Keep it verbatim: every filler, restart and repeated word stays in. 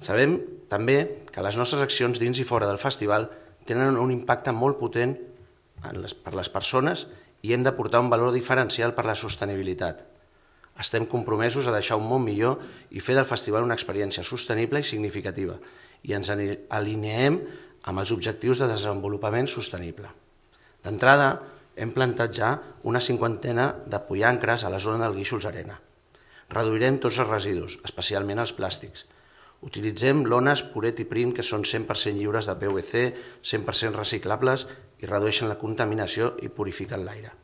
Sabem també que les nostres accions dins i fora del festival tenen un impacte molt potent per les persones i hem d'aportar un valor diferencial per la sostenibilitat. Estem compromesos a deixar un món millor i fer del festival una experiència sostenible i significativa i ens alineem amb els objectius de desenvolupament sostenible. D'entrada, hem plantat ja una cinquantena de pollancres a la zona del Guíxols Arena. Reduirem tots els residus, especialment els plàstics. Utilitzem lones Puret i Print que són cent per cent lliures de P V C, cent per cent reciclables i redueixen la contaminació i purifiquen l'aire.